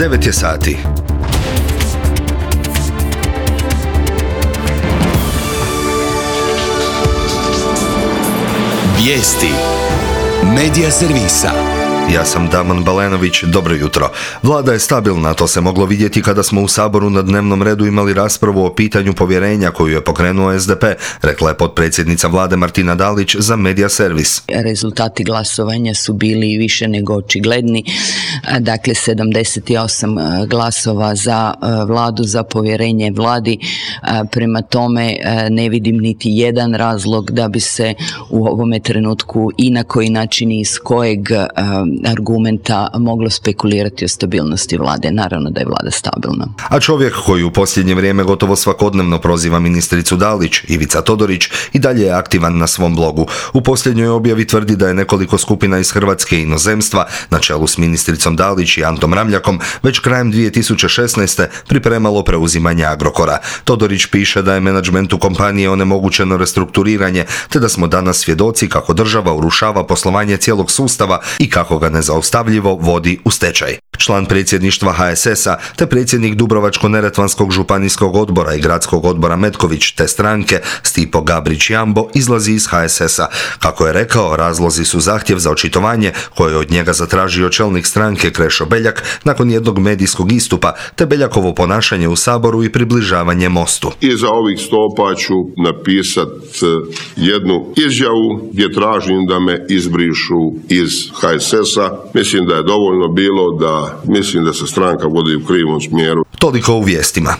9 je sati. Vijesti Medija servisa. Ja sam Damon Balenović, dobro jutro. Vlada je stabilna, to se moglo vidjeti kada smo u Saboru na dnevnom redu imali raspravu o pitanju povjerenja koju je pokrenuo SDP, rekla je potpredsjednica Vlade Martina Dalić za Medija servis. Rezultati glasovanja su bili više nego očigledni, dakle 78 glasova za Vladu, za povjerenje Vladi, prema tome ne vidim niti jedan razlog da bi se u ovome trenutku i na koji način i iz kojeg argumenta moglo spekulirati o stabilnosti Vlade. Naravno da je Vlada stabilna. A čovjek koji u posljednje vrijeme gotovo svakodnevno proziva ministricu Dalić, Ivica Todorić, i dalje je aktivan na svom blogu. U posljednjoj objavi tvrdi da je nekoliko skupina iz Hrvatske i inozemstva, na čelu s ministricom Dalić i Antom Ramljakom, već krajem 2016. pripremalo preuzimanje Agrokora. Todorić piše da je menadžmentu kompanije onemogućeno restrukturiranje, te da smo danas svjedoci kako država urušava poslovanje cijelog sustava i kako ga nezaustavljivo vodi u stečaj. Član predsjedništva HSS-a te predsjednik Dubrovačko-neretvanskog županijskog odbora i gradskog odbora Metković te stranke Stipo Gabrić-Jambo izlazi iz HSS-a. Kako je rekao, razlozi su zahtjev za očitovanje koje je od njega zatražio čelnik stranke Krešo Beljak nakon jednog medijskog istupa, te Beljakovo ponašanje u Saboru i približavanje Mostu. Iza ovih stopa ću napisati jednu izjavu gdje tražim da me izbrišu iz HSS-a. Mislim da je dovoljno bilo da mislim da se stranka vodi u krivom smjeru. Toliko u vijestima.